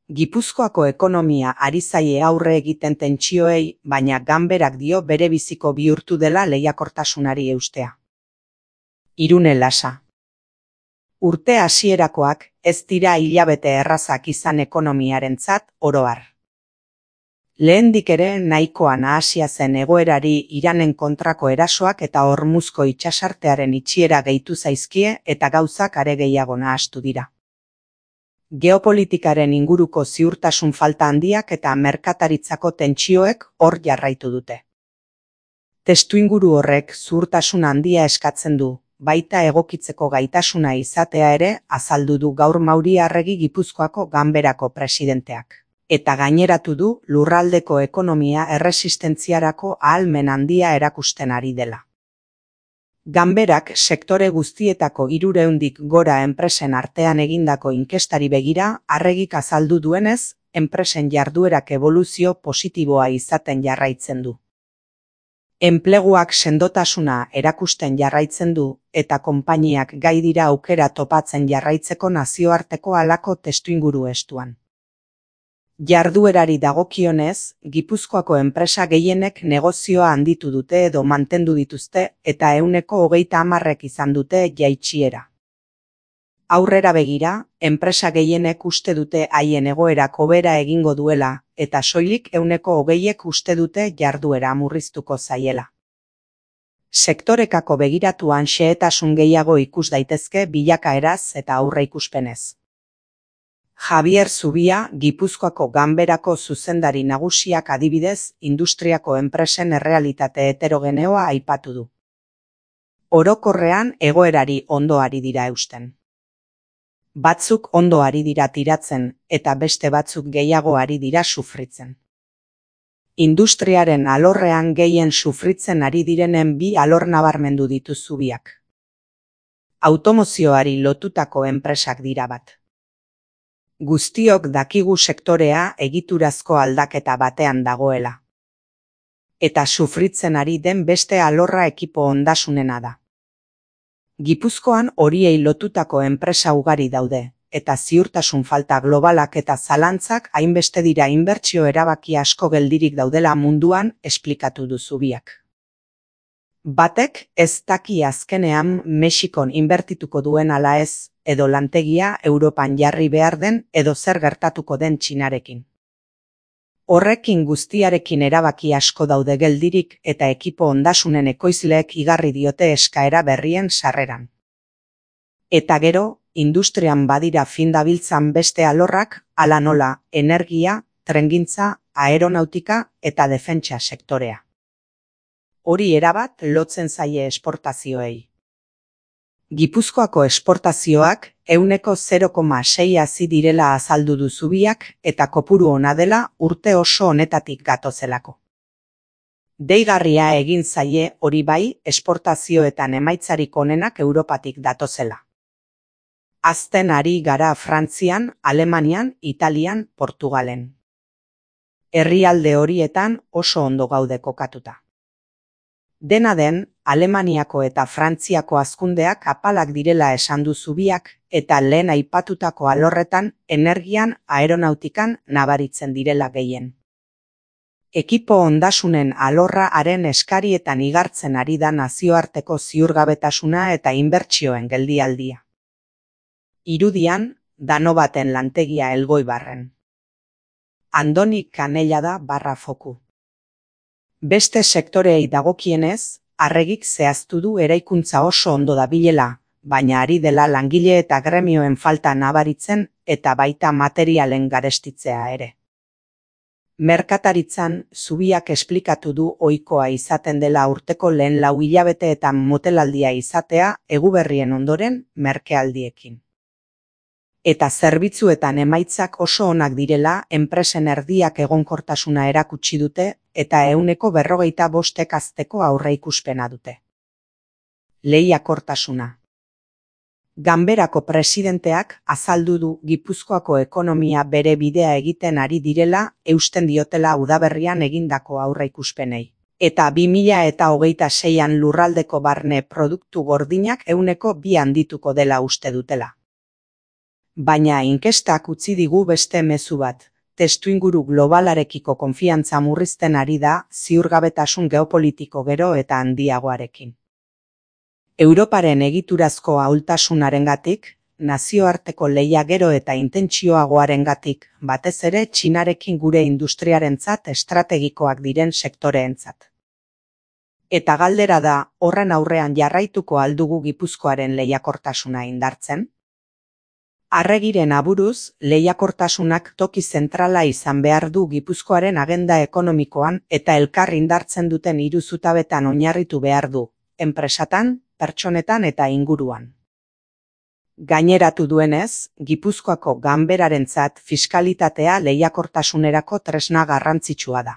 Gipuzkoako ekonomia ari zaie aurre egiten tentsioei, baina Ganberak dio bere biziko bihurtu dela lehiakortasunari eustea. Irune Lasa. Urte hasierakoak ez dira hilabete errazak izan ekonomiarentzat oro har. Lehendik ere nahikoa nahasia zen egoerari Iranen kontrako erasoak eta Hormuzko itsasartearen itxiera gehitu zaizkie eta gauzak are gehiago nahastu dira. Geopolitikaren inguruko ziurtasun falta handiak eta merkataritzako tentsioek hor jarraitu dute. Testuinguru horrek ziurtasun handia eskatzen du, baita egokitzeko gaitasuna izatea ere azaldu du gaur Mauri Arregi Gipuzkoako Ganberako presidenteak. Eta gaineratu du lurraldeko ekonomia erresistentziarako ahalmen handia erakusten ari dela. Ganberak sektore guztietako 300tik gora enpresen artean egindako inkestari begira, Arregik azaldu duenez, enpresen jarduerak eboluzio positiboa izaten jarraitzen du. Enpleguak sendotasuna erakusten jarraitzen du eta konpainiak gai dira aukera topatzen jarraitzeko nazioarteko halako testuinguru estuan. Jarduerari dagokionez, Gipuzkoako enpresa gehienek negozioa handitu dute edo mantendu dituzte eta 30% izan dute jaitsiera. Aurrera begira, enpresa gehienek uste dute haien egoerak hobera egingo duela eta soilik 20% uste dute jarduera murriztuko zaiela. Sektorekako begiratuan xehetasun gehiago ikus daitezke bilakaeraz eta aurreikuspenez. Javier Zubia, Gipuzkoako Ganberako zuzendari nagusiak adibidez, industriako enpresen errealitate heterogeneoa aipatu du. Orokorrean egoerari ondo ari dira eusten. Batzuk ondo ari dira tiratzen eta beste batzuk gehiago ari dira sufritzen. Industriaren alorrean gehien sufritzen ari direnen bi alor nabarmendu ditu Zubiak. Automozioari lotutako enpresak dira bat. Guztiok dakigu sektorea egiturazko aldaketa batean dagoela. Eta sufritzen ari den beste alorra ekipo ondasunena da. Gipuzkoan horiei lotutako enpresa ugari daude, eta ziurtasun falta globalak eta zalantzak hainbeste dira inbertsio erabaki asko geldirik daudela munduan esplikatu du Zubiak. Batek ez daki azkenean Mexikon inbertituko duen ala ez, edo lantegia Europan jarri behar den edo zer gertatuko den Txinarekin. Horrekin guztiarekin erabaki asko daude geldirik eta ekipo ondasunen ekoizleek igarri diote eskaera berrien sarreran. Eta gero, industrian badira fin dabiltzan beste alorrak, hala nola, energia, trengintza, aeronautika eta defentsa sektorea. Hori erabat lotzen zaie esportazioei. Gipuzkoako esportazioak 0,6 hazi direla azaldu du Zubiak eta kopuru ona dela urte oso honetatik gatozelako. Deigarria egin zaie hori bai esportazioetan emaitzarik onenak Europatik datozela. Hazten ari gara Frantzian, Alemanian, Italian, Portugalen. Herrialde horietan oso ondo gaude kokatuta. Dena den, Alemaniako eta Frantziako hazkundeak apalak direla esan du Zubiak eta lehen aipatutako alorretan energian, aeronautikan nabaritzen direla gehien. Ekipo ondasunen alorra haren eskarietan igartzen ari da nazioarteko ziurgabetasuna eta inbertsioen geldialdia. Irudian, Danobaten lantegia Elgoibarren. Andoni Kanellada /foku. Beste sektoreei dagokienez, Arregik zehaztu du eraikuntza oso ondo dabilela, baina ari dela langile eta gremioen falta nabaritzen eta baita materialen garestitzea ere. Merkataritzan, Zubiak esplikatu du ohikoa izaten dela urteko lehen 4 hilabeteetan motelaldia izatea eguberrien ondoren merkealdiekin. Eta zerbitzuetan emaitzak oso onak direla enpresen erdiak egonkortasuna erakutsi dute eta 45% hazteko aurreikuspena dute. Lehiakortasuna. Ganberako presidenteak azaldu du Gipuzkoako ekonomia bere bidea egiten ari direla eusten diotela udaberrian egindako aurreikuspenei. Eta 2026an lurraldeko barne produktu gordinak 2% handituko dela uste dutela. Baina inkestak utzi digu beste mezu bat. Testuinguru globalarekiko konfiantza murrizten ari da ziurgabetasun geopolitiko gero eta handiagoarekin. Europaren egiturazko ahultasunarengatik, nazioarteko lehia gero eta intentsioagoarengatik, batez ere Txinarekin gure industriarentzat estrategikoak diren sektoreentzat. Eta galdera da, horren aurrean jarraituko aldugu Gipuzkoaren lehiakortasuna indartzen? Arregiren aburuz, lehiakortasunak toki zentrala izan behar du Gipuzkoaren agenda ekonomikoan eta elkar indartzen duten hiru zutabetan oinarritu behar du, enpresatan, pertsonetan eta inguruan. Gaineratu duenez, Gipuzkoako ganberarentzat fiskalitatea lehiakortasunerako tresna garrantzitsua da.